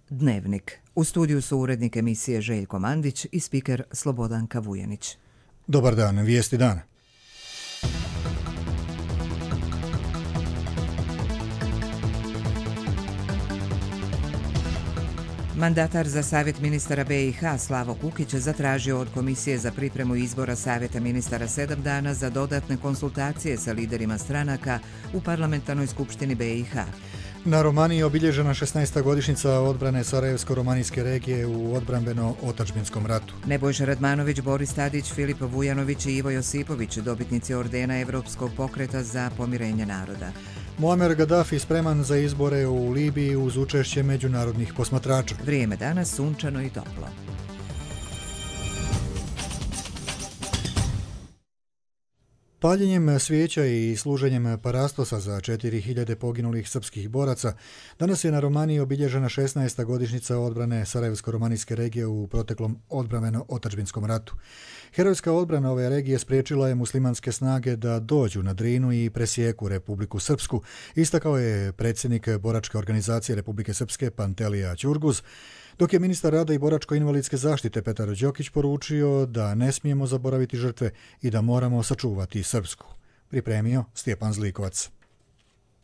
Dnevnik. U studiju su urednik emisije Željko Mandić i spiker Slobodanka Vujanić. Dobar dan, vijesti dana. Mandatar za Savjet ministara BiH Slavo Kukić zatražio od Komisije za pripremu izbora Savjeta ministara 7 dana za dodatne konsultacije sa liderima stranaka u Parlamentarnoj skupštini BiH. Na Romaniji je obilježena 16. godišnjica odbrane Sarajevsko-romanijske regije u odbrambeno-otadžbinskom ratu. Nebojša Radmanović, Boris Tadić, Filip Vujanović i Ivo Josipović, dobitnici ordena Evropskog pokreta za pomirenje naroda. Muamer Gaddafi spreman za izbore u Libiji uz učešće međunarodnih posmatrača. Vrijeme danas sunčano i toplo. Paljenjem svijeća i služenjem parastosa za 4000 poginulih srpskih boraca, danas je na Romaniji obilježena 16. godišnjica odbrane Sarajevsko-romanijske regije u proteklom odbrambeno-otadžbinskom ratu. Herojska odbrana ove regije spriječila je muslimanske snage da dođu na Drinu i presijeku Republiku Srpsku, istakao je predsjednik boračke organizacije Republike Srpske Pantelija Ćurguz, dok je ministar rada i boračko-invalidske zaštite Petar Đokić poručio da ne smijemo zaboraviti žrtve i da moramo sačuvati Srpsku. Pripremio Stjepan Zlikovac.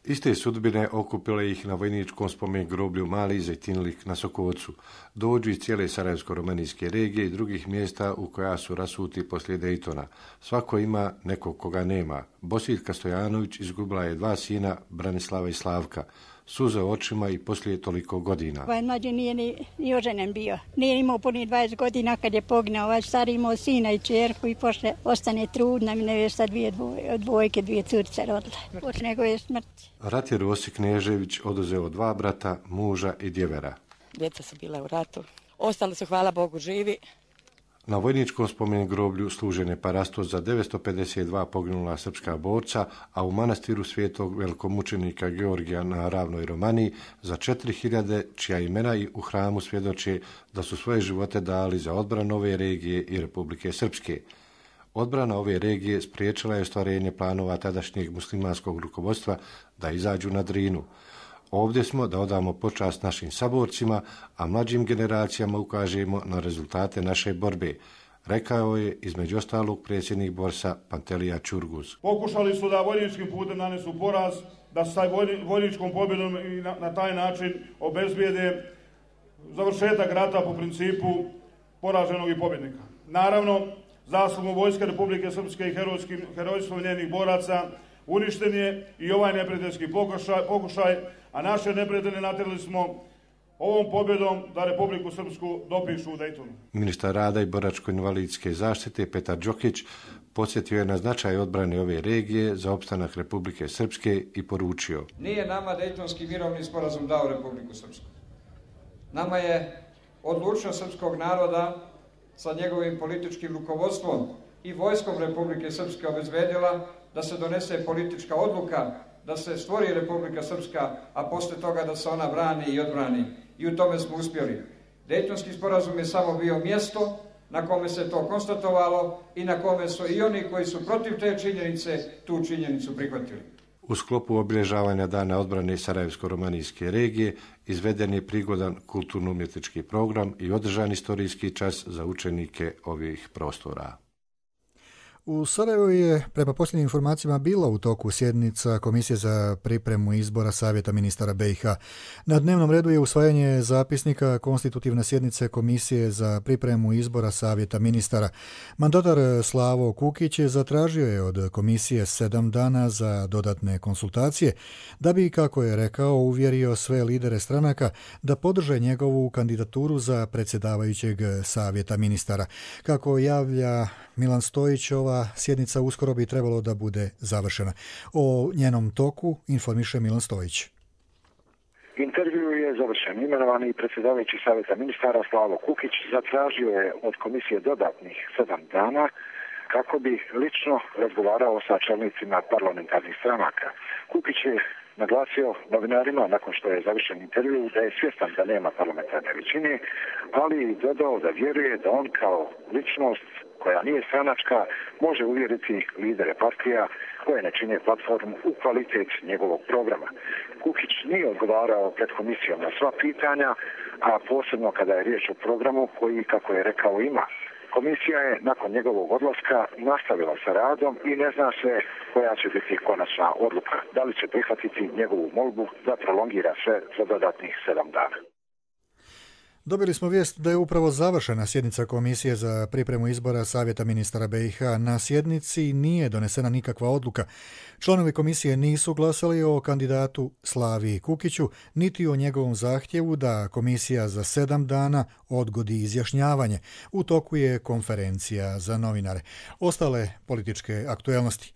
Iste sudbine okupile ih na vojničkom spomen groblju Mali Zejtinlik na Sokovcu. Dođu iz cijele Sarajevsko-romanijske regije i drugih mjesta u koja su rasuti poslije Dejtona. Svako ima nekog koga nema. Bosiljka Stojanović izgubila je 2 sina, Branislava i Slavka. Suze očima i poslije toliko godina. Ovaj mlađi nije ni oženjen bio. Nije imao punih 20 godina kad je poginao. Ovaj stari imao sina i čerku i poslije ostane trudna. Mi nevesta 2 dvojke, 2 curice rodile. Od njegove smrti. Rat je Rosik Knežević oduzeo 2 brata, muža i djevera. Djeca su bila u ratu. Ostali su, hvala Bogu, živi. Na vojničkom spomen groblju služen je parastos za 952 poginula srpska borca, a u manastiru svetog velikomučenika Georgija na Ravnoj Romaniji za 4000 čija imena i u hramu svjedoče da su svoje živote dali za odbranu ove regije i Republike Srpske. Odbrana ove regije spriječila je ostvarenje planova tadašnjeg muslimanskog rukovodstva da izađu na Drinu. Ovdje smo da odamo počast našim saborcima, a mlađim generacijama ukažemo na rezultate naše borbe, rekao je između ostalog predsjednik Borsa Pantelija Ćurguz. Pokušali su da vojničkim putem nanesu poraz, da se taj vojničkom pobjedom i na taj način obezbijede završetak rata po principu poraženog i pobjednika. Naravno, zaslugom Vojske Republike Srpske i herojstvom njenih boraca uništen je i ovaj neprijateljski pokušaj, a naše neprijatelje natjerali smo ovom pobjedom da Republiku Srpsku dopišu u Dejtonu. Ministar rada i boračko-invalidske zaštite Petar Đokić podsjetio je na značaj odbrane ove regije za opstanak Republike Srpske i poručio: Nije nama Dejtonski mirovni sporazum dao Republiku Srpsku. Nama je odlučnost srpskog naroda sa njegovim političkim rukovodstvom i vojskom Republike Srpske obezbedila da se donese politička odluka, da se stvori Republika Srpska, a poslije toga da se ona brani i odbrani. I u tome smo uspjeli. Dejtonski sporazum je samo bio mjesto na kome se to konstatovalo i na kome su i oni koji su protiv te činjenice tu činjenicu prihvatili. U sklopu obilježavanja Dana odbrane Sarajevsko-romanijske regije izveden je prigodan kulturno-umjetnički program i održan istorijski čas za učenike ovih prostora. U Sarajevu je, prema posljednjim informacijama, bila u toku sjednica Komisije za pripremu izbora Savjeta ministara BiH. Na dnevnom redu je usvajanje zapisnika konstitutivne sjednice Komisije za pripremu izbora Savjeta ministara. Mandatar Slavo Kukić zatražio je od Komisije 7 dana za dodatne konsultacije, da bi, kako je rekao, uvjerio sve lidere stranaka da podrže njegovu kandidaturu za predsjedavajućeg Savjeta ministara. Kako javlja Milan Stojić, ova sjednica uskoro bi trebalo da bude završena. O njenom toku informiše Milan Stojić. Intervju je završen. Imenovani predsjedavajući Savjeta ministara Slavo Kukić zatražio je od komisije dodatnih 7 dana kako bi lično razgovarao sa čelnicima parlamentarnih stranaka. Kukić je naglasio novinarima nakon što je završen intervju da je svjestan da nema parlamentarne većine, ali dodao da vjeruje da on kao ličnost koja nije stranačka može uvjeriti lidere partija koje ne čine platformu u kvalitet njegovog programa. Kukić nije odgovarao pred komisijom na sva pitanja, a posebno kada je riječ o programu koji, kako je rekao, ima. Komisija je nakon njegovog odlaska nastavila sa radom i ne zna se koja će biti konačna odluka. Da li će prihvatiti njegovu molbu da prolongira sve za dodatnih 7 dana. Dobili smo vijest da je upravo završena sjednica Komisije za pripremu izbora Savjeta ministara BiH. Na sjednici nije donesena nikakva odluka. Članovi komisije nisu glasali o kandidatu Slaviji Kukiću, niti o njegovom zahtjevu da komisija za 7 dana odgodi izjašnjavanje. U toku je konferencija za novinare. Ostale političke aktuelnosti.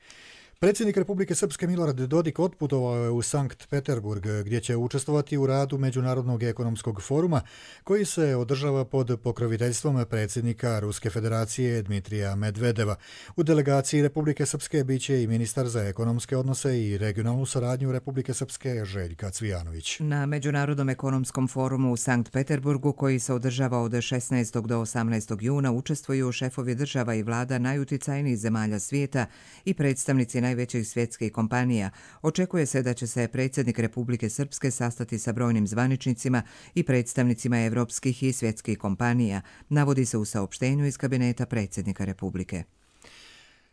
Predsjednik Republike Srpske Milorad Dodik otputovao je u Sankt Peterburg, gdje će učestvovati u radu Međunarodnog ekonomskog foruma, koji se održava pod pokroviteljstvom predsjednika Ruske federacije Dmitrija Medvedeva. U delegaciji Republike Srpske bit će i ministar za ekonomske odnose i regionalnu saradnju Republike Srpske Željka Cvijanović. Na Međunarodnom ekonomskom forumu u Sankt Peterburgu, koji se održava od 16. do 18. juna, učestvuju šefovi država i vlada najuticajnijih zemalja svijeta i predstavnici najvećih svjetskih kompanija. Očekuje se da će se predsjednik Republike Srpske sastati sa brojnim zvaničnicima i predstavnicima evropskih i svjetskih kompanija, navodi se u saopštenju iz kabineta predsjednika Republike.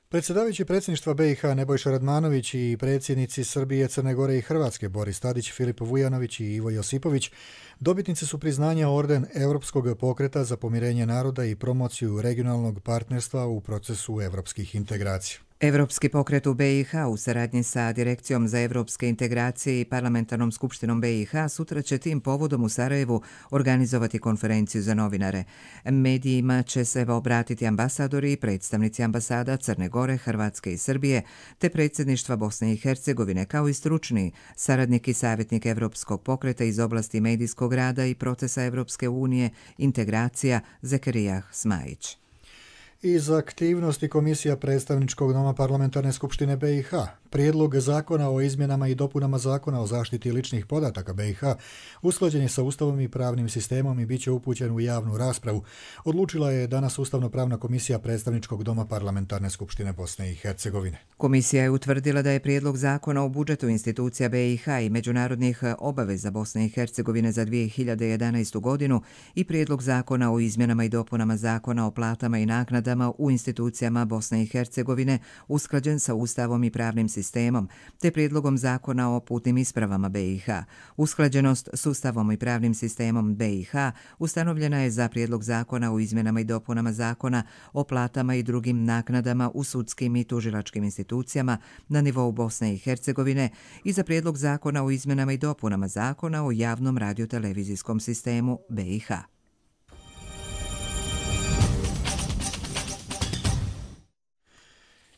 Predsjedavajući predsjedništva BiH Nebojša Radmanović i predsjednici Srbije, Crne Gore i Hrvatske Boris Tadić, Filip Vujanović i Ivo Josipović dobitnici su priznanja orden Europskog pokreta za pomirenje naroda i promociju regionalnog partnerstva u procesu evropskih integracija. Evropski pokret u BiH u saradnji sa Direkcijom za evropske integracije i Parlamentarnom skupštinom BiH sutra će tim povodom u Sarajevu organizovati konferenciju za novinare. Medijima će se obratiti ambasadori i predstavnici ambasada Crne Gore, Hrvatske i Srbije, te predsjedništva Bosne i Hercegovine, kao i stručni saradnik i savjetnik Evropskog pokreta iz oblasti medijskog rada i procesa Evropske unije, integracija Zekerijah Smajić. Iz aktivnosti Komisija predstavničkog doma Parlamentarne skupštine BiH, prijedlog zakona o izmjenama i dopunama zakona o zaštiti ličnih podataka BiH usklađen je sa Ustavom i pravnim sistemom i bit će upućen u javnu raspravu. Odlučila je danas Ustavno-pravna komisija predstavničkog doma Parlamentarne skupštine Bosne i Hercegovine. Komisija je utvrdila da je prijedlog zakona o budžetu institucija BiH i međunarodnih obaveza Bosne i Hercegovine za 2011. godinu i prijedlog zakona o izmjenama i dopunama zakona o platama i naknadama u institucijama Bosne i Hercegovine usklađen sa Ustavom i pravnim sistemom, te prijedlogom zakona o putnim ispravama BiH. Usklađenost s Ustavom i pravnim sistemom BiH ustanovljena je za prijedlog zakona o izmjenama i dopunama zakona o platama i drugim naknadama u sudskim i tužilačkim institucijama na nivou Bosne i Hercegovine i za prijedlog zakona o izmjenama i dopunama zakona o javnom radiotelevizijskom sistemu BiH.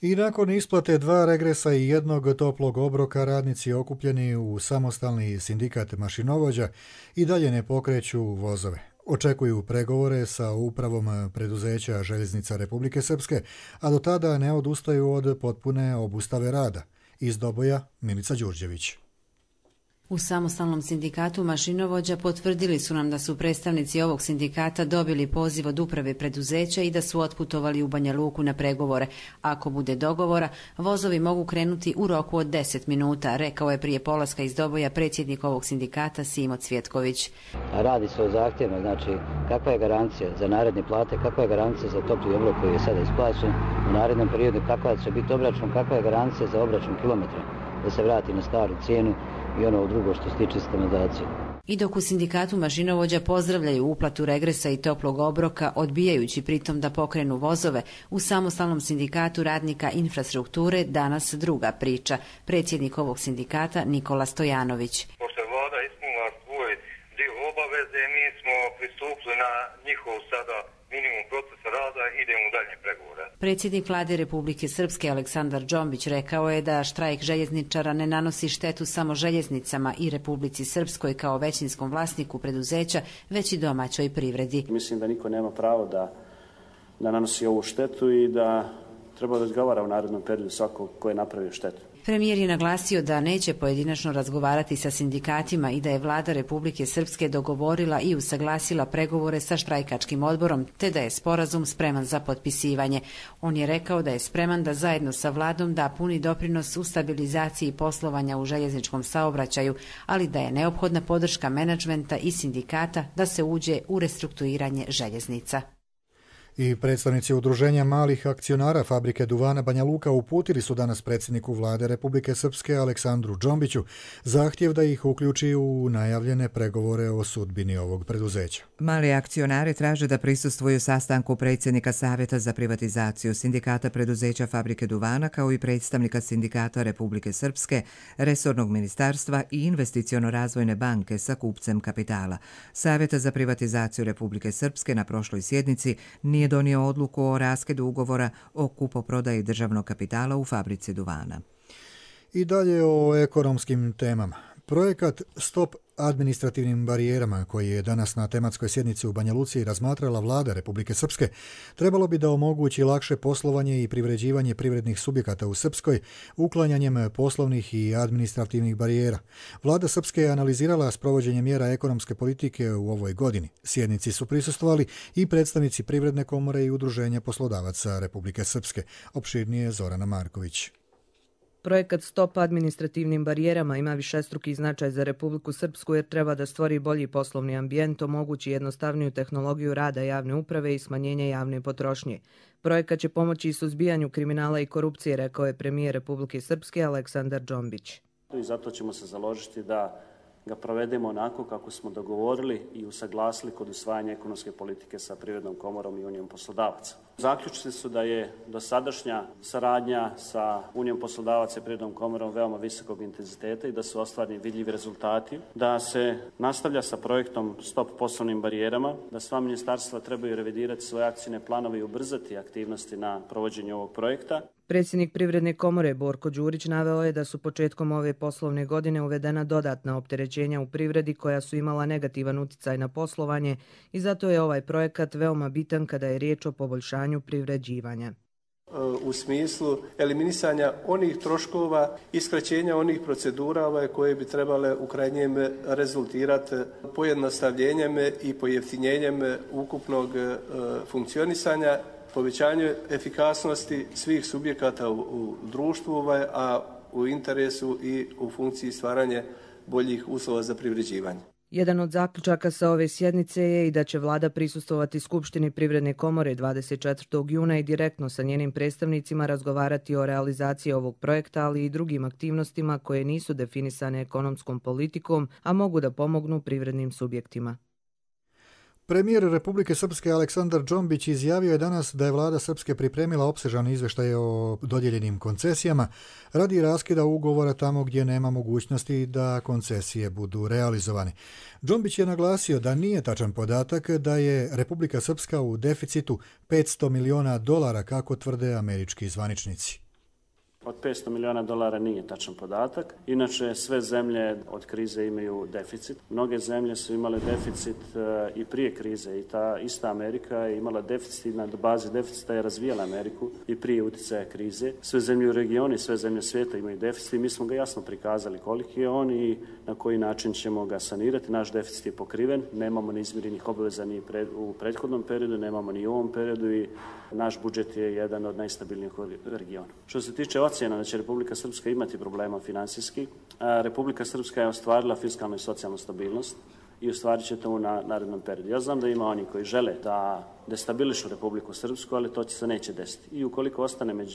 I nakon isplate 2 regresa i 1 toplog obroka, radnici okupljeni u samostalni sindikat mašinovođa i dalje ne pokreću vozove. Očekuju pregovore sa upravom preduzeća Željeznica Republike Srpske, a do tada ne odustaju od potpune obustave rada. Iz Doboja, Milica Đurđević. U samostalnom sindikatu mašinovođa potvrdili su nam da su predstavnici ovog sindikata dobili poziv od uprave preduzeća i da su otputovali u Banja Luku na pregovore. Ako bude dogovora, vozovi mogu krenuti u roku od 10 minuta, rekao je prije polaska iz Doboja predsjednik ovog sindikata Simo Cvjetković. Radi se o zahtjevima, znači kakva je garancija za naredne plate, kakva je garancija za topli obrok koji je sada isplaćen u narednom periodu, kakva će biti obračun, kakva je garancija za obračun kilometra, da se vrati na staru cijenu i ono drugo što se tiče standardizacije. I dok u sindikatu mašinovođa pozdravljaju uplatu regresa i toplog obroka, odbijajući pritom da pokrenu vozove, u samostalnom sindikatu radnika infrastrukture danas druga priča. Predsjednik ovog sindikata Nikola Stojanović. Pošto je vlada ispunila svoj dio obaveze, mi smo pristupili na njihov sada minimum procesa rada i idemo u dalje pregovore. Predsjednik vlade Republike Srpske Aleksandar Džombić rekao je da štrajk željezničara ne nanosi štetu samo željeznicama i Republici Srpskoj kao većinskom vlasniku preduzeća, već i domaćoj privredi. Mislim da niko nema pravo da nanosi ovu štetu i da treba da odgovara u narednom periodu svako ko je napravio štetu. Premijer je naglasio da neće pojedinačno razgovarati sa sindikatima i da je vlada Republike Srpske dogovorila i usaglasila pregovore sa štrajkačkim odborom, te da je sporazum spreman za potpisivanje. On je rekao da je spreman da zajedno sa vladom da puni doprinos u stabilizaciji poslovanja u željezničkom saobraćaju, ali da je neophodna podrška menadžmenta i sindikata da se uđe u restrukturiranje željeznica. I predstavnici udruženja malih akcionara fabrike duvana Banja Luka uputili su danas predsjedniku vlade Republike Srpske Aleksandru Džombiću zahtjev da ih uključi u najavljene pregovore o sudbini ovog preduzeća. Mali akcionari traže da prisustvuju sastanku predsjednika Savjeta za privatizaciju Sindikata preduzeća fabrike duvana kao i predstavnika Sindikata Republike Srpske, resornog ministarstva i investiciono-razvojne banke sa kupcem kapitala. Savjeta za privatizaciju Republike Srpske na prošloj sjednici nije donio odluku o raskedu ugovora o kupoprodaji državnog kapitala u fabrici duvana. I dalje o ekonomskim temama. Projekat Stop administrativnim barijerama, koji je danas na tematskoj sjednici u Banja Luci razmatrala vlada Republike Srpske, trebalo bi da omogući lakše poslovanje i privređivanje privrednih subjekata u Srpskoj, uklanjanjem poslovnih i administrativnih barijera. Vlada Srpske je analizirala sprovođenje mjera ekonomske politike u ovoj godini. Sjednici su prisustvovali i predstavnici Privredne komore i Udruženja poslodavaca Republike Srpske. Opširnije Zorana Marković. Projekat Stop administrativnim barijerama ima višestruki značaj za Republiku Srpsku jer treba da stvori bolji poslovni ambijent, omogući jednostavniju tehnologiju rada javne uprave i smanjenje javne potrošnje. Projekat će pomoći i suzbijanju kriminala i korupcije, rekao je premijer Republike Srpske Aleksandar Džombić. I zato ćemo se založiti da ga provedemo onako kako smo dogovorili i usaglasili kod usvajanja ekonomske politike sa Privrednom komorom i Unijom poslodavaca. Zaključci su da je dosadašnja saradnja sa Unijom poslodavaca i Privrednom komorom veoma visokog intenziteta i da su ostvareni vidljivi rezultati, da se nastavlja sa projektom Stop poslovnim barijerama, da sva ministarstva trebaju revidirati svoje akcijne planove i ubrzati aktivnosti na provođenju ovog projekta. Predsjednik Privredne komore Borko Đurić naveo je da su početkom ove poslovne godine uvedena dodatna opterećenja u privredi koja su imala negativan uticaj na poslovanje i zato je ovaj projekat veoma bitan kada je riječ o poboljšanju privređivanja. U smislu eliminisanja onih troškova i skraćenja onih procedura koje bi trebale u krajnjem rezultirati pojednostavljenjem i pojeftinjenjem ukupnog funkcionisanja, povećanju efikasnosti svih subjekata u društvu, a u interesu i u funkciji stvaranja boljih uslova za privređivanje. Jedan od zaključaka sa ove sjednice je i da će vlada prisustvovati Skupštini Privredne komore 24. juna i direktno sa njenim predstavnicima razgovarati o realizaciji ovog projekta, ali i drugim aktivnostima koje nisu definisane ekonomskom politikom, a mogu da pomognu privrednim subjektima. Premijer Republike Srpske Aleksandar Džombić izjavio je danas da je vlada Srpske pripremila opsežan izveštaj o dodijeljenim koncesijama radi raskida ugovora tamo gdje nema mogućnosti da koncesije budu realizovane. Džombić je naglasio da nije tačan podatak da je Republika Srpska u deficitu $500 miliona kako tvrde američki zvaničnici. Od $500 miliona nije tačan podatak. Inače, sve zemlje od krize imaju deficit. Mnoge zemlje su imale deficit i prije krize i ta ista Amerika je imala deficit i na bazi deficita je razvijala Ameriku i prije uticaja krize. Sve zemlje u regionu i sve zemlje svijeta imaju deficit i mi smo ga jasno prikazali koliki je on i na koji način ćemo ga sanirati. Naš deficit je pokriven, nemamo ni izmirenih obaveza ni u prethodnom periodu, nemamo ni u ovom periodu i naš budžet je jedan od najstabilnijih u regionu. Što se tiče ocjena da će Republika Srpska imati problema finansijski, Republika Srpska je ostvarila fiskalnu i socijalnu stabilnost i ostvarit će to u narednom periodu. Ja znam da ima oni koji žele da destabilišu Republiku Srpsku, ali to se neće desiti. I ukoliko ostane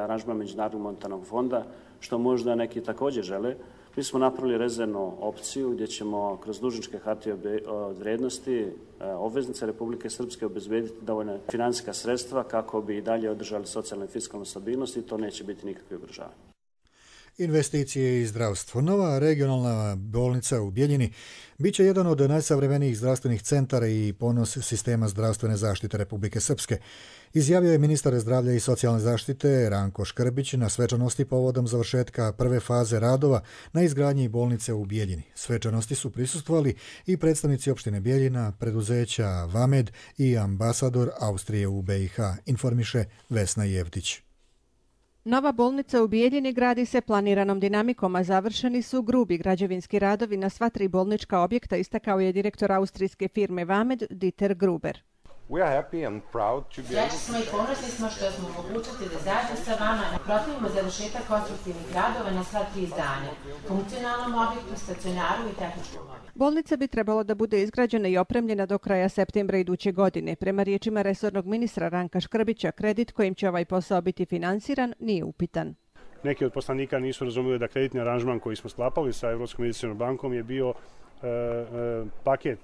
aranžman Međunarodnog monetarnog fonda, što možda neki također žele, mi smo napravili rezervnu opciju gdje ćemo kroz dužničke hartije od vrijednosti obveznice Republike Srpske obezbediti dovoljna financijska sredstva kako bi dalje održali socijalnu i fiskalnu stabilnost i to neće biti nikakve ugrožavanje. Investicije i zdravstvo. Nova regionalna bolnica u Bijeljini bit će jedan od najsavremenijih zdravstvenih centara i ponos sistema zdravstvene zaštite Republike Srpske, izjavio je ministar zdravlja i socijalne zaštite Ranko Škrbić na svečanosti povodom završetka prve faze radova na izgradnji bolnice u Bijeljini. Svečanosti su prisustvovali i predstavnici opštine Bijeljina, preduzeća Vamed i ambasador Austrije u BiH, informiše Vesna Jevtić. Nova bolnica u Bijeljini gradi se planiranom dinamikom, a završeni su grubi građevinski radovi na sva 3 bolnička objekta, istakao je direktor austrijske firme Vamed Dieter Gruber. Srećni smo i ponosni smo što smo mogućnosti da zajedno sa vama napravimo završetak konstruktivnih radova na sva 3 zdanja, funkcionalnom objektu, stacionaru i tehničkom objektu. Bolnica bi trebalo da bude izgrađena i opremljena do kraja septembra iduće godine. Prema riječima resornog ministra Ranka Škrbića, kredit kojim će ovaj posao biti finansiran nije upitan. Neki od poslanika nisu razumjeli da kreditni aranžman koji smo sklapali sa Europskom investicijskom bankom je bio paket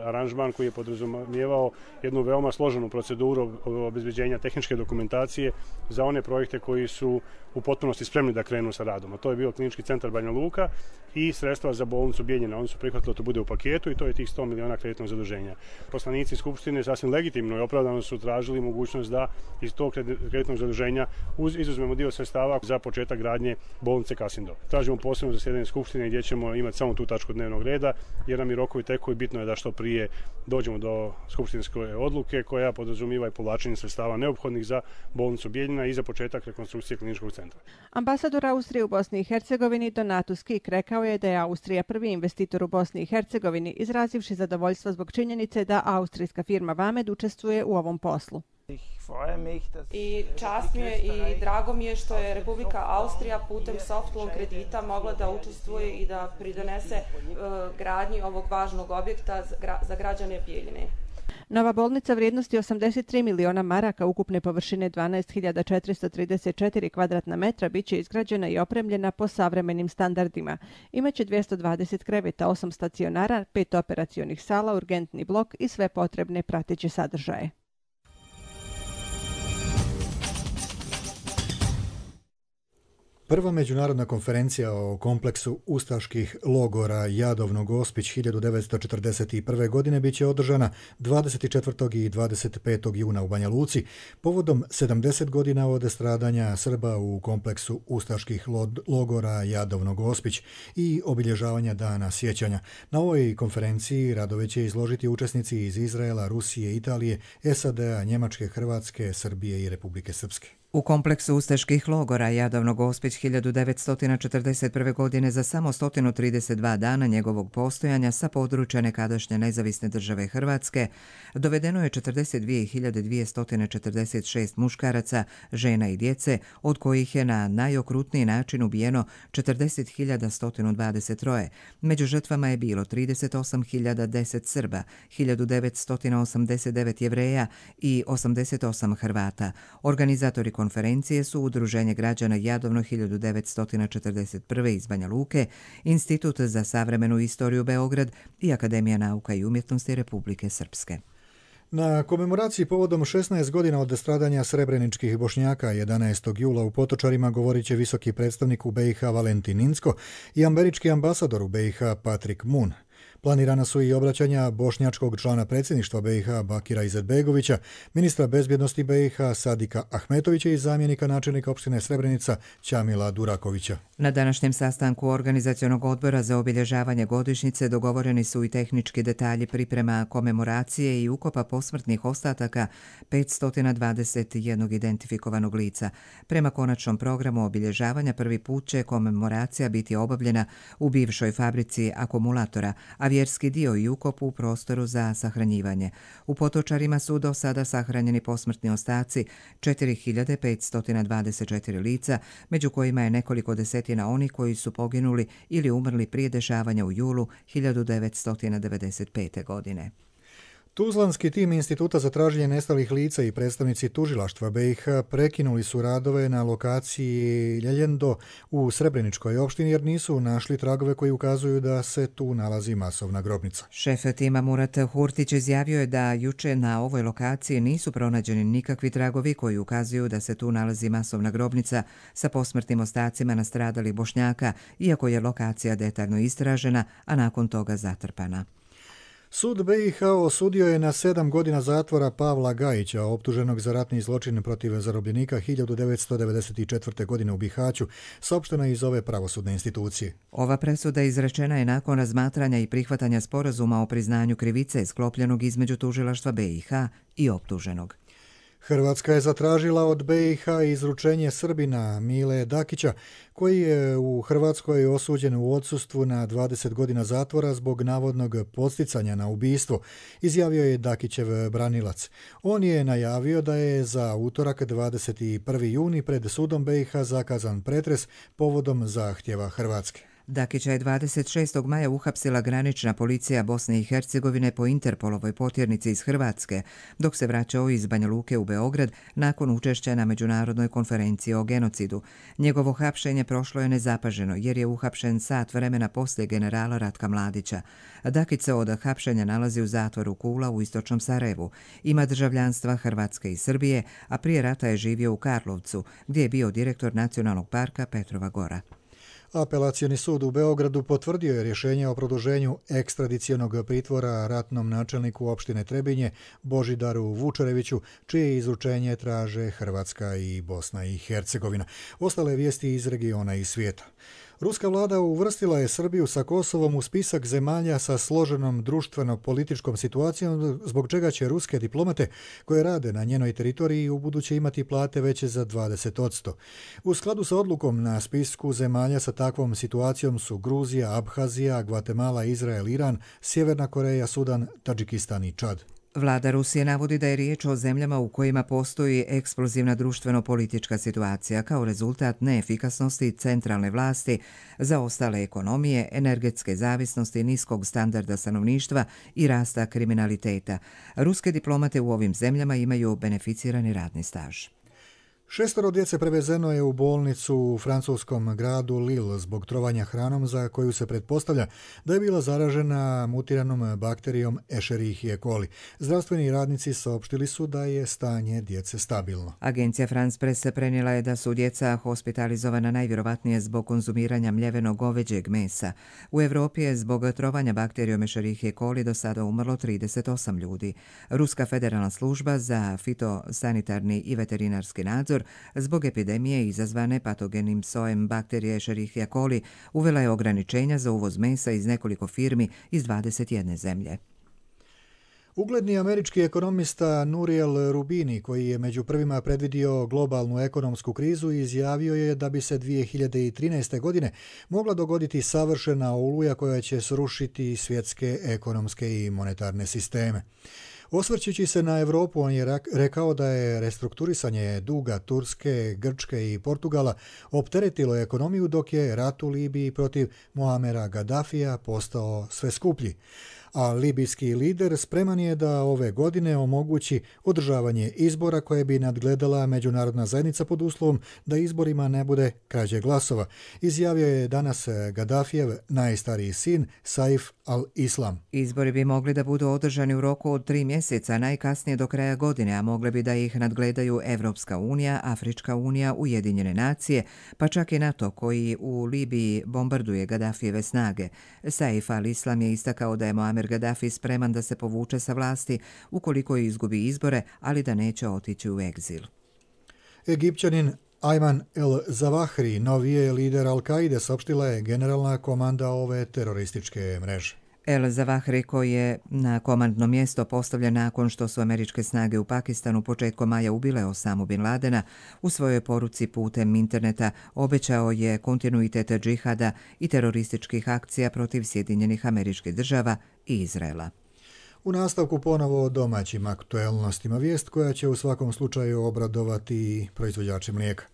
aranžman koji je podrazumijevao jednu veoma složenu proceduru obezbeđenja tehničke dokumentacije za one projekte koji su u potpunosti spremni da krenu sa radom. A to je bio Klinički centar Banja Luka i sredstva za bolnicu Bijeljina. Oni su prihvatili da to bude u paketu i to je tih 100 miliona kreditnog zaduženja. Poslanici Skupštine sasvim legitimno i opravdano su tražili mogućnost da iz tog kreditnog zaduženja izuzmemo dio sredstava za početak gradnje bolnice Kasindo. Tražimo posebno zasjedanje Skupštine gdje ćemo imati samo tu tačku dnevnog reda, jer nam i rokovi teku i bitno je da što prije dođemo do skupštinske odluke koja podrazumiva i povlačenje sredstava neophodnih za bolnicu Bijeljina i za početak rekonstrukcije kliničkog centra. Ambasador Austrije u Bosni i Hercegovini Donatus Kik rekao je da je Austrija prvi investitor u Bosni i Hercegovini, izrazivši zadovoljstvo zbog činjenice da austrijska firma Vamed učestvuje u ovom poslu. I čast mi je i drago mi je što je Republika Austrija putem soft loan kredita mogla da učestvuje i da pridonese gradnji ovog važnog objekta za građane Bijeljine. Nova bolnica vrijednosti 83 miliona maraka ukupne površine 12.434 kvadratna metra biće izgrađena i opremljena po savremenim standardima. Imaće 220 kreveta, 8 stacionara, 5 operacionih sala, urgentni blok i sve potrebne prateće sadržaje. Prva međunarodna konferencija o kompleksu ustaških logora Jadovno Gospić 1941. godine bit će održana 24. i 25. juna u Banja Luci povodom 70 godina od stradanja Srba u kompleksu ustaških logora Jadovno Gospić i obilježavanja dana sjećanja. Na ovoj konferenciji radove će izložiti učesnici iz Izraela, Rusije, Italije, SAD-a, Njemačke, Hrvatske, Srbije i Republike Srpske. U kompleksu ustaških logora Jadovno Gospić 1941. godine za samo 132 dana njegovog postojanja sa područja nekadašnje nezavisne države Hrvatske dovedeno je 42.246 muškaraca, žena i djece, od kojih je na najokrutniji način ubijeno 40.123. Među žrtvama je bilo 38.010 Srba, 1989 Jevreja i 88 Hrvata. Organizatori konferencije su Udruženje građana Jadovno 1941. iz Banja Luke, Institut za savremenu istoriju Beograd i Akademija nauka i umjetnosti Republike Srpske. Na komemoraciji povodom 16 godina od stradanja srebreničkih Bošnjaka 11. jula u Potočarima govorit će visoki predstavnik u BiH Valentin Incko i američki ambasador u BiH Patrick Moon. Planirana su i obraćanja bošnjačkog člana predsjedništva BiH Bakira Izetbegovića, ministra bezbjednosti BiH Sadika Ahmetovića i zamjenika načelnika opštine Srebrenica Ćamila Durakovića. Na današnjem sastanku Organizacionog odbora za obilježavanje godišnjice dogovoreni su i tehnički detalji priprema komemoracije i ukopa posmrtnih ostataka 521 identifikovanog lica. Prema konačnom programu obilježavanja prvi put će komemoracija biti obavljena u bivšoj fabrici akumulatora, a vjerski dio i ukop u prostoru za sahranjivanje. U Potočarima su do sada sahranjeni posmrtni ostaci 4.524 lica, među kojima je nekoliko desetina onih koji su poginuli ili umrli prije dešavanja u julu 1995. godine. Tuzlanski tim Instituta za traženje nestalih lica i predstavnici tužilaštva BiH prekinuli su radove na lokaciji Ljeljendo u Srebreničkoj opštini jer nisu našli tragove koji ukazuju da se tu nalazi masovna grobnica. Šef tima Murat Hurtić izjavio je da juče na ovoj lokaciji nisu pronađeni nikakvi tragovi koji ukazuju da se tu nalazi masovna grobnica sa posmrtnim ostacima nastradalih Bošnjaka, iako je lokacija detaljno istražena, a nakon toga zatrpana. Sud BiH osudio je na 7 godina zatvora Pavla Gajića, optuženog za ratni zločin protiv zarobljenika 1994. godine u Bihaću, saopšteno iz ove pravosudne institucije. Ova presuda izrečena je nakon razmatranja i prihvatanja sporazuma o priznanju krivice sklopljenog između tužilaštva BiH i optuženog. Hrvatska je zatražila od BiH izručenje Srbina Mile Dakića, koji je u Hrvatskoj osuđen u odsustvu na 20 godina zatvora zbog navodnog podsticanja na ubistvo, izjavio je Dakićev branilac. On je najavio da je za utorak 21. juni pred sudom BiH zakazan pretres povodom zahtjeva Hrvatske. Dakića je 26. maja uhapsila granična policija Bosne i Hercegovine po Interpolovoj potjernici iz Hrvatske, dok se vraćao iz Banja Luke u Beograd nakon učešća na međunarodnoj konferenciji o genocidu. Njegovo hapšenje prošlo je nezapaženo jer je uhapšen sat vremena poslije generala Ratka Mladića. Dakić se od hapšenja nalazi u zatvoru Kula u istočnom Sarajevu. Ima državljanstva Hrvatske i Srbije, a prije rata je živio u Karlovcu, gdje je bio direktor Nacionalnog parka Petrova Gora. Apelacioni sud u Beogradu potvrdio je rješenje o produženju ekstradicionog pritvora ratnom načelniku opštine Trebinje Božidaru Vučereviću, čije izručenje traže Hrvatska i Bosna i Hercegovina. Ostale vijesti iz regiona i svijeta. Ruska vlada uvrstila je Srbiju sa Kosovom u spisak zemalja sa složenom društveno-političkom situacijom, zbog čega će ruske diplomate koje rade na njenoj teritoriji ubuduće imati plate veće za 20%. U skladu sa odlukom na spisku zemalja sa takvom situacijom su Gruzija, Abhazija, Gvatemala, Izrael, Iran, Sjeverna Koreja, Sudan, Tadžikistan i Čad. Vlada Rusije navodi da je riječ o zemljama u kojima postoji eksplozivna društveno-politička situacija kao rezultat neefikasnosti centralne vlasti, zaostale ekonomije, energetske zavisnosti, niskog standarda stanovništva i rasta kriminaliteta. Ruske diplomate u ovim zemljama imaju beneficirani radni staž. 6 djece prevezeno je u bolnicu u francuskom gradu Lille zbog trovanja hranom za koju se pretpostavlja da je bila zaražena mutiranom bakterijom Escherichia coli. Zdravstveni radnici saopštili su da je stanje djece stabilno. Agencija France Presse prenijela je da su djeca hospitalizovana najvjerovatnije zbog konzumiranja mljevenog goveđeg mesa. U Europi je zbog trovanja bakterijom Escherichia coli do sada umrlo 38 ljudi. Ruska federalna služba za fitosanitarni i veterinarski nadzor zbog epidemije izazvane patogenim sojem bakterije Escherichia coli uvela je ograničenja za uvoz mesa iz nekoliko firmi iz 21 zemlje. Ugledni američki ekonomista Nouriel Roubini, koji je među prvima predvidio globalnu ekonomsku krizu, izjavio je da bi se 2013. godine mogla dogoditi savršena oluja koja će srušiti svjetske ekonomske i monetarne sisteme. Osvrćući se na Europu, on je rekao da je restrukturisanje duga Turske, Grčke i Portugala opteretilo ekonomiju, dok je rat u Libiji protiv Muamera Gaddafija postao sve skuplji. A libijski lider spreman je da ove godine omogući održavanje izbora koje bi nadgledala međunarodna zajednica pod uslovom da izborima ne bude krađe glasova, izjavio je danas Gaddafijev najstariji sin Saif al-Islam. Izbori bi mogli da budu održani u roku od 3 mjeseca, najkasnije do kraja godine, a mogli bi da ih nadgledaju Evropska unija, Afrička unija, Ujedinjene nacije, pa čak i NATO koji u Libiji bombarduje Gaddafijeve snage. Saif al-Islam je istakao da je Muamer Gaddafi spreman da se povuče sa vlasti ukoliko izgubi izbore, ali da neće otići u egzil. Egipćanin Ayman el-Zawahri, novi je lider Al-Kaide, saopštila je generalna komanda ove terorističke mreže. El-Zawahri, koji je na komandno mjesto postavljen nakon što su američke snage u Pakistanu početkom maja ubile Osamu Bin Ladena, u svojoj poruci putem interneta obećao je kontinuitet džihada i terorističkih akcija protiv Sjedinjenih Američkih Država i Izraela. U nastavku ponovo o domaćim aktuelnostima, vijest koja će u svakom slučaju obradovati proizvođače mlijeka.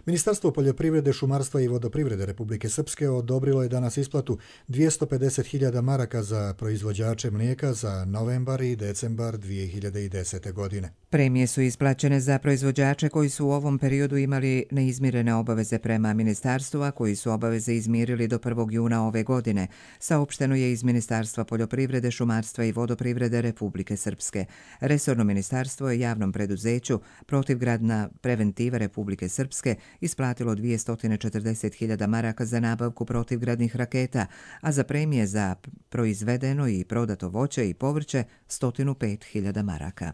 Ministarstvo poljoprivrede, šumarstva i vodoprivrede Republike Srpske odobrilo je danas isplatu 250.000 maraka za proizvođače mlijeka za novembar i decembar 2010. godine. Premije su isplaćene za proizvođače koji su u ovom periodu imali neizmirene obaveze prema ministarstvu, a koji su obaveze izmirili do 1. juna ove godine, saopšteno je iz Ministarstva poljoprivrede, šumarstva i vodoprivrede Republike Srpske. Resorno ministarstvo je javnom preduzeću Protivgradna preventiva Republike Srpske isplatilo 240.000 maraka za nabavku protivgradnih raketa, a za premije za proizvedeno i prodato voće i povrće 105.000 maraka.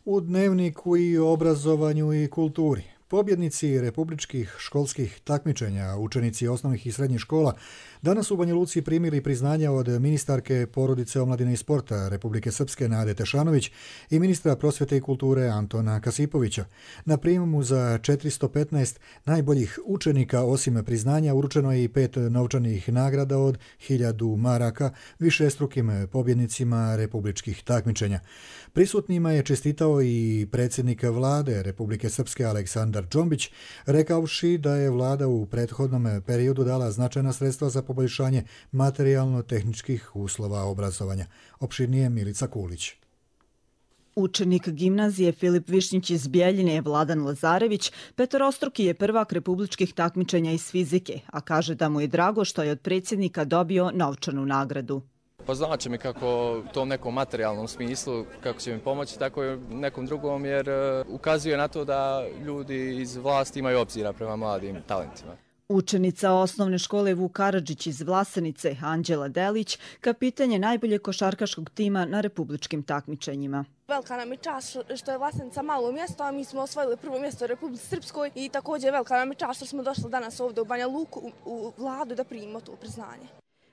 U Dnevniku i obrazovanju i kulturi. Pobjednici republičkih školskih takmičenja, učenici osnovnih i srednjih škola, danas u Banja Luci primili priznanja od ministarke porodice, omladine i sporta Republike Srpske Nade Tešanović i ministra prosvjete i kulture Antona Kasipovića. Na prijemu za 415 najboljih učenika osim priznanja uručeno je i 5 novčanih nagrada od 1000 maraka višestrukim pobjednicima republičkih takmičenja. Prisutnima je čestitao i predsjednik vlade Republike Srpske Aleksandar Džombić, rekavši da je vlada u prethodnom periodu dala značajna sredstva za poboljšanje materijalno-tehničkih uslova obrazovanja. Opširnije Milica Kulić. Učenik gimnazije Filip Višnjić iz Bjeljine Vladan Lazarević petorostruki je prvak republičkih takmičenja iz fizike, a kaže da mu je drago što je od predsjednika dobio novčanu nagradu. Pa znači mi kako u tom nekom materijalnom smislu, kako će mi pomoći, tako i nekom drugom, jer ukazuje na to da ljudi iz vlasti imaju obzira prema mladim talentima. Učenica osnovne škole Vuk Karadžić iz Vlasenice, Anđela Delić, kapitan je najbolje košarkaškog tima na republičkim takmičenjima. Velika nam je čast što je Vlasenica malo mjesto, a mi smo osvojili prvo mjesto u Republici Srpskoj i također velika nam je čast što smo došli danas ovdje u Banja Luku u vladu da primimo to priznanje.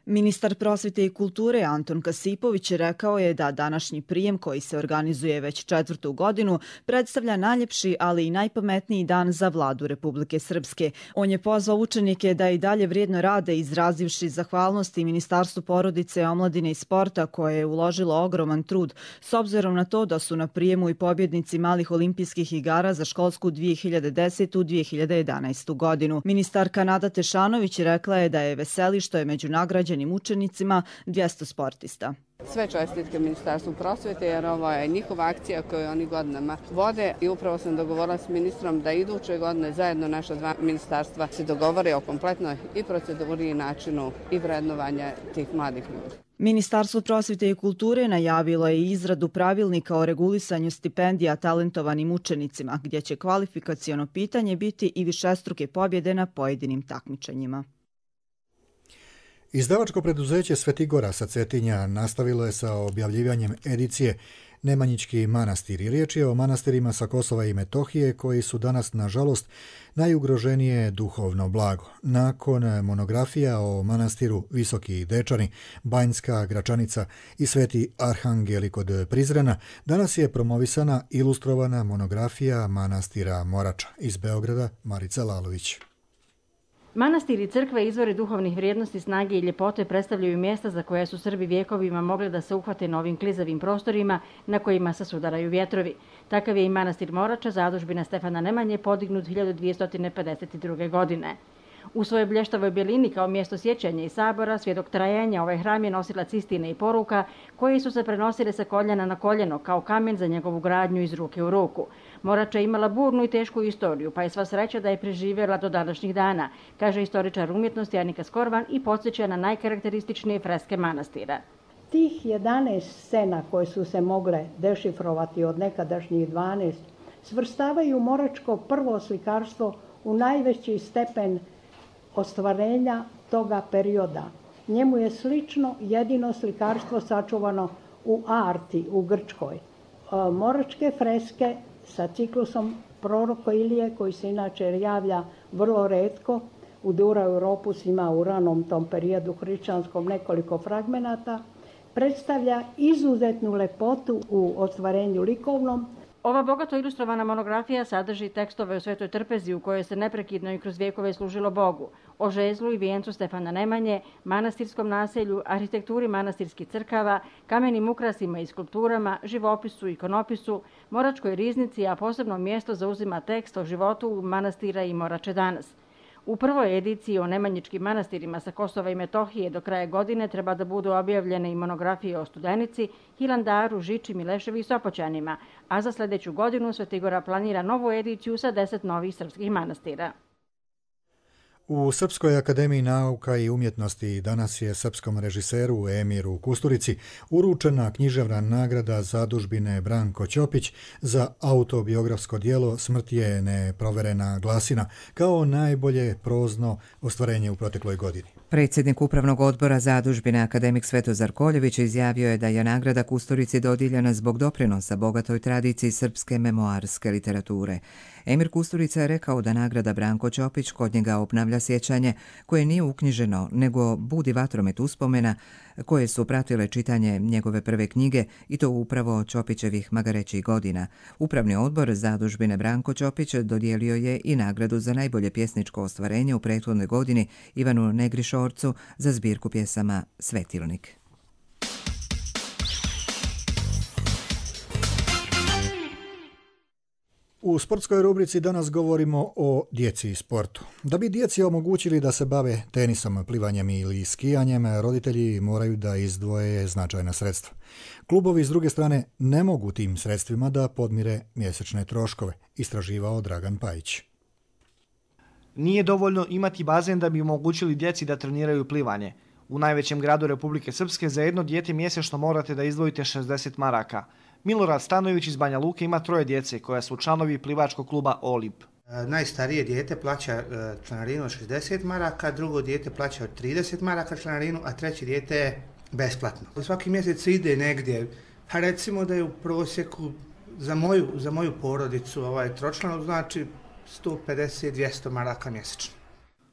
Ministar prosvjete i kulture Anton Kasipović rekao je da današnji prijem, koji se organizuje već 4. godinu, predstavlja najljepši, ali i najpametniji dan za vladu Republike Srpske. On je pozvao učenike da i dalje vrijedno rade, izrazivši zahvalnosti Ministarstvu porodice, omladine i sporta koje je uložilo ogroman trud, s obzirom na to da su na prijemu i pobjednici malih olimpijskih igara za školsku 2010-2011. godinu. Ministarka Nada Tešanović rekla je da je veseli što je među nagrađenim učenicima 200 sportista. Sve čestitke Ministarstvu prosvjete jer ovo je njihova akcija koju oni godinama vode i upravo sam dogovorila s ministrom da iduće godine zajedno naša dva ministarstva se dogovore o kompletnoj i proceduri i načinu i vrednovanja tih mladih ljudi. Ministarstvo prosvjete i kulture najavilo je izradu pravilnika o regulisanju stipendija talentovanim učenicima, gdje će kvalifikaciono pitanje biti i višestruke pobjede na pojedinim takmičenjima. Izdavačko preduzeće Svetigora sa Cetinja nastavilo je sa objavljivanjem edicije Nemanjički manastiri. Riječ je o manastirima sa Kosova i Metohije koji su danas, nažalost, najugroženije duhovno blago. Nakon monografija o manastiru Visoki Dečani, Banjska Gračanica i Sveti Arhangeli kod Prizrena, danas je promovisana ilustrovana monografija manastira Morača. Iz Beograda, Marica Lalović. Manastiri i crkve izvore duhovnih vrijednosti, snage i ljepote predstavljaju mjesta za koje su Srbi vjekovima mogli da se uhvate na ovim klizavim prostorima na kojima se sudaraju vjetrovi. Takav je i manastir Morača, zadužbina Stefana Nemanje, podignut 1252. godine. U svojoj blještavoj bjelini kao mjesto sjećanja i sabora, svjedok trajanja, ovaj hram je nosilac istine i poruka koji su se prenosile sa koljena na koljeno kao kamen za njegovu gradnju iz ruke u ruku. Morača je imala burnu i tešku istoriju, pa je sva sreća da je preživjela do današnjih dana, kaže istoričar umjetnosti Anika Skorvan i podsjeća na najkarakterističnije freske manastira. Tih 11 scena koje su se mogle dešifrovati od nekadašnjih 12 svrstavaju moračko prvo slikarstvo u najveći stepen ostvarenja toga perioda. Njemu je slično jedino slikarstvo sačuvano u Arti u Grčkoj. Moračke freske sa ciklusom proroka Ilije, koji se inače javlja vrlo retko, u Dura Europus ima u ranom tom periodu hrišćanskom nekoliko fragmenata, predstavlja izuzetnu lepotu u ostvarenju likovnom. Ova bogato ilustrovana monografija sadrži tekstove o Svetoj Trpezi u kojoj se neprekidno i kroz vjekove služilo Bogu, o žezlu i vijencu Stefana Nemanje, manastirskom naselju, arhitekturi manastirskih crkava, kamenim ukrasima i skulpturama, živopisu i ikonopisu, moračkoj riznici, a posebno mjesto zauzima tekst o životu manastira i Morače danas. U prvoj ediciji o nemanjičkim manastirima sa Kosova i Metohije do kraja godine treba da budu objavljene i monografije o Studenici, Hilandaru, Žiči, Mileševi i Sopoćanima, a za sljedeću godinu Svetigora planira novu ediciju sa 10 novih srpskih manastira. U Srpskoj akademiji nauka i umjetnosti danas je srpskom režiseru Emiru Kusturici uručena književna nagrada zadužbine Branko Ćopić za autobiografsko djelo Smrt je neproverena glasina kao najbolje prozno ostvarenje u protekloj godini. Predsjednik Upravnog odbora Zadužbine akademik Svetozar Koljević izjavio je da je nagrada Kusturici dodijeljena zbog doprinosa bogatoj tradiciji srpske memoarske literature. Emir Kusturica je rekao da nagrada Branko Ćopić kod njega obnavlja sjećanje koje nije uknjiženo, nego budi vatromet uspomena koje su pratile čitanje njegove prve knjige i to upravo Ćopićevih magarećih godina. Upravni odbor Zadužbine Branko Ćopić dodijelio je i nagradu za najbolje pjesničko ostvarenje u prethodnoj godini Ivanu Negrišorcu za zbirku pjesama Svetilnik. U sportskoj rubrici danas govorimo o djeci i sportu. Da bi djeci omogućili da se bave tenisom, plivanjem ili skijanjem, roditelji moraju da izdvoje značajna sredstva. Klubovi s druge strane ne mogu tim sredstvima da podmire mjesečne troškove, istraživao Dragan Pajić. Nije dovoljno imati bazen da bi omogućili djeci da treniraju plivanje. U najvećem gradu Republike Srpske za jedno dijete mjesečno morate da izdvojite 60 maraka. Milorad Stanojević iz Banja Luke ima 3 djece koja su članovi plivačkog kluba Olimp. Najstarije dijete plaća članarinu od 60 maraka, drugo dijete plaća od 30 maraka članarinu, a treće dijete je besplatno. Svaki mjesec ide negdje, pa recimo da je u prosjeku za moju porodicu tročlanu znači 150-200 maraka mjesečno.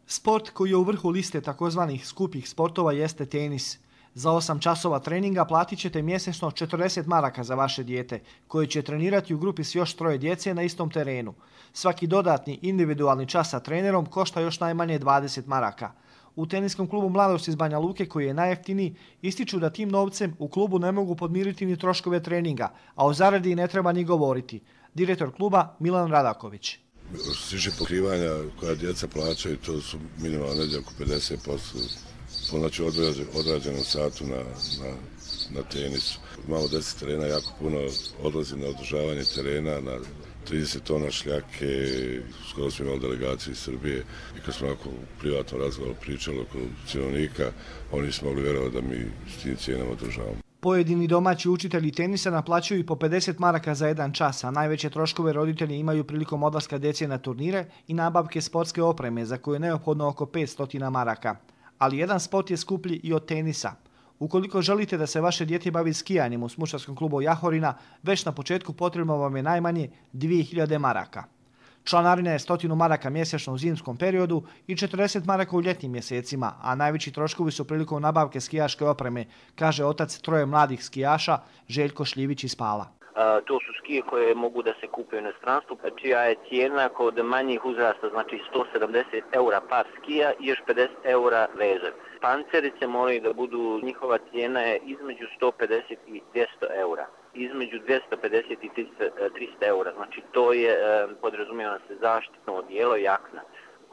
Sport koji je u vrhu liste takozvanih skupih sportova jeste tenis. Za 8 časova treninga platit ćete mjesečno 40 maraka za vaše dijete, koje će trenirati u grupi s još 3 djece na istom terenu. Svaki dodatni individualni čas sa trenerom košta još najmanje 20 maraka. U teniskom klubu Mladost iz Banja Luke, koji je najjeftiniji, ističu da tim novcem u klubu ne mogu podmiriti ni troškove treninga, a o zaradi ne treba ni govoriti. Direktor kluba Milan Radaković. Što se tiče pokrivanja koja djeca plaćaju, to su minimalno negdje oko 50%. Znači odrađenom satu na tenisu. Imamo 10 terena, jako puno odlazi na održavanje terena, na 30 tona šljake, skoro smo imali delegaciju iz Srbije i kad smo onako u privatnom razgovoru pričali oko cjenovnika, oni su mogli vjerovati da mi s tim cijenama održavamo. Pojedini domaći učitelji tenisa naplaćuju i po 50 maraka za 1 čas, a najveće troškove roditelji imaju prilikom odlaska djece na turnire i nabavke sportske opreme za koju je neophodno oko 500 maraka. Ali jedan sport je skuplji i od tenisa. Ukoliko želite da se vaše dijete bavi skijanjem u smušarskom klubu Jahorina, već na početku potrebno vam je najmanje 2000 maraka. Članarina je 100 maraka mjesečno u zimskom periodu i 40 maraka u ljetnim mjesecima, a najveći troškovi su prilikom nabavke skijaške opreme, kaže otac 3 mladih skijaša Željko Šljivić iz Pala. To su skije koje mogu da se kupe u inostranstvu, čija je cijena kod manjih uzrasta, znači 170 eura par skija i još 50 eura vežev. Pancerice moraju da budu, njihova cijena je između 150 i 200 eura. Između 250 i 300 eura, znači to je podrazumijeva se zaštitno odijelo i jakna.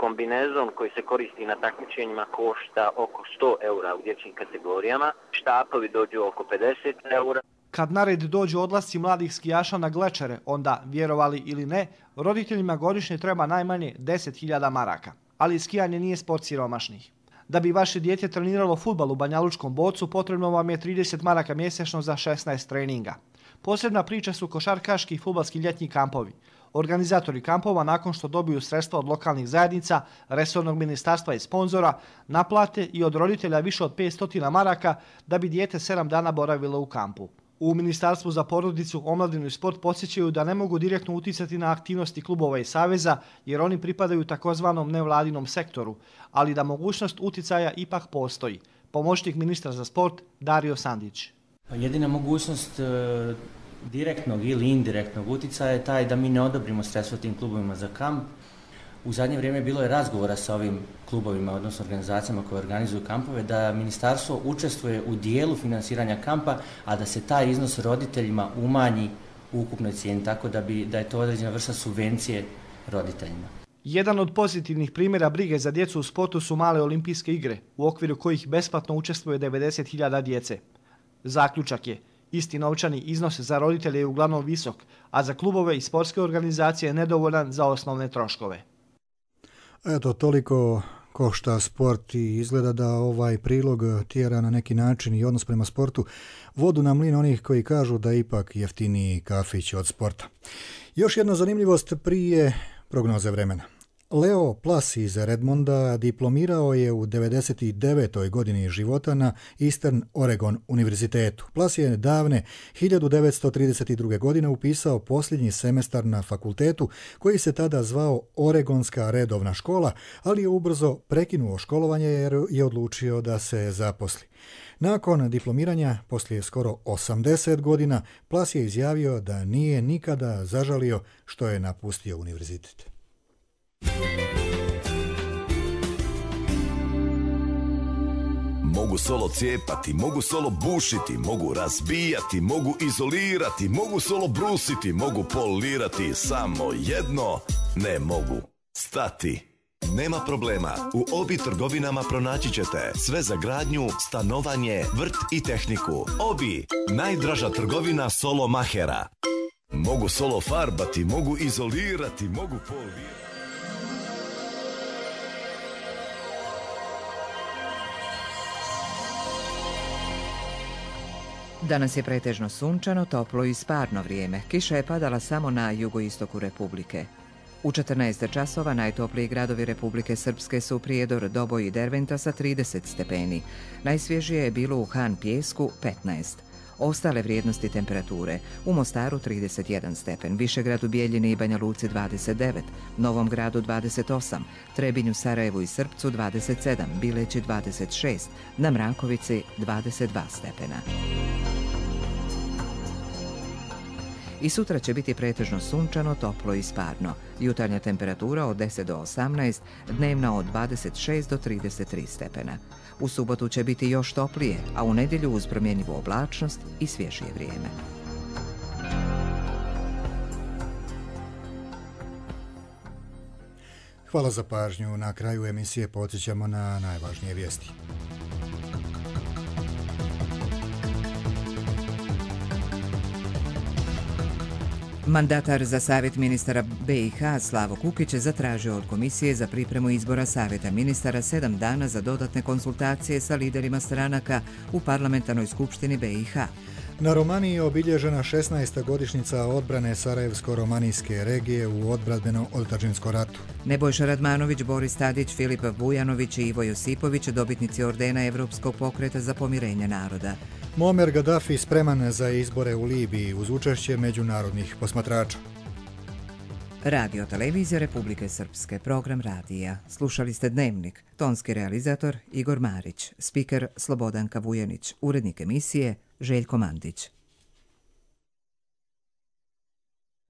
Kombinezon koji se koristi na takmičenjima košta oko 100 eura u dječjim kategorijama, štapovi dođu oko 50 eura. Kad na red dođu odlasci mladih skijaša na glečere, onda, vjerovali ili ne, roditeljima godišnje treba najmanje 10.000 maraka. Ali skijanje nije sport siromašnih. Da bi vaše dijete treniralo fudbal u Banjalučkom Bocu, potrebno vam je 30 maraka mjesečno za 16 treninga. Posebna priča su košarkaški i fudbalski ljetni kampovi. Organizatori kampova, nakon što dobiju sredstva od lokalnih zajednica, resornog ministarstva i sponzora, naplate i od roditelja više od 500 maraka da bi dijete 7 dana boravilo u kampu. U Ministarstvu za porodicu, omladinu i sport podsjećaju da ne mogu direktno uticati na aktivnosti klubova i saveza jer oni pripadaju takozvanom nevladinom sektoru, ali da mogućnost uticaja ipak postoji. Pomoćnik ministra za sport Dario Sandić. Jedina mogućnost direktnog ili indirektnog uticaja je taj da mi ne odobrimo sredstva tim klubovima za kamp. U zadnje vrijeme bilo je razgovora sa ovim klubovima, odnosno organizacijama koje organizuju kampove, da ministarstvo učestvuje u dijelu finansiranja kampa, a da se taj iznos roditeljima umanji u ukupnoj cijeni, tako da je to određena vrsta subvencije roditeljima. Jedan od pozitivnih primjera brige za djecu u sportu su male olimpijske igre, u okviru kojih besplatno učestvuje 90.000 djece. Zaključak je, isti novčani iznos za roditelje je uglavnom visok, a za klubove i sportske organizacije nedovoljan za osnovne troškove. Eto, toliko košta sport i izgleda da ovaj prilog tjera na neki način i odnos prema sportu vodu na mlin onih koji kažu da ipak jeftiniji kafić od sporta. Još jedna zanimljivost prije prognoze vremena. Leo Plas iz Redmonda diplomirao je u 99. godini života na Eastern Oregon univerzitetu. Plas je davne 1932. godine upisao posljednji semestar na fakultetu koji se tada zvao Oregonska redovna škola, ali je ubrzo prekinuo školovanje jer je odlučio da se zaposli. Nakon diplomiranja, poslije skoro 80 godina, Plas je izjavio da nije nikada zažalio što je napustio univerzitet. Mogu solo cijepati, mogu solo bušiti, mogu razbijati, mogu izolirati, mogu solo brusiti, mogu polirati, samo jedno ne mogu stati. Nema problema, u Obi trgovinama pronaći ćete sve za gradnju, stanovanje, vrt i tehniku. Obi, najdraža trgovina solo mahera. Mogu solo farbati, mogu izolirati, mogu polirati. Danas je pretežno sunčano, toplo i sparno vrijeme. Kiša je padala samo na jugoistoku Republike. U 14 časova najtopliji gradovi Republike Srpske su Prijedor, Doboj i Derventa sa 30 stepeni. Najsvježije je bilo u Han Pijesku 15. Ostale vrijednosti temperature: u Mostaru 31 stepen, Višegradu, Bijeljini i Banja Luci 29, Novom Gradu 28, Trebinju, Sarajevu i Srpcu 27, Bileći 26, na Mrakovici 22 stepena. I sutra će biti pretežno sunčano, toplo i sparno. Jutarnja temperatura od 10 do 18, dnevna od 26 do 33 stepena. U subotu će biti još toplije, a u nedjelju uz promjenjivu oblačnost i svježije vrijeme. Hvala za pažnju. Na kraju emisije podsjećamo na najvažnije vijesti. Mandatar za Savjet ministara BiH Slavo Kukić je zatražio od Komisije za pripremu izbora Savjeta ministara 7 dana za dodatne konsultacije sa liderima stranaka u parlamentarnoj skupštini BiH. Na Romaniji je obilježena 16. godišnjica odbrane Sarajevsko-romanijske regije u odbrambeno-otadžbinskom ratu. Nebojša Radmanović, Boris Tadić, Filip Vujanović i Ivo Josipović, dobitnici ordena Evropskog pokreta za pomirenje naroda. Muammar Gaddafi spreman za izbore u Libiji uz učešće međunarodnih posmatrača. Radio Televizija Republike Srpske, program radija. Slušali ste Dnevnik, tonski realizator Igor Marić, spiker Slobodanka Vujanić, urednik emisije Željko Mandić.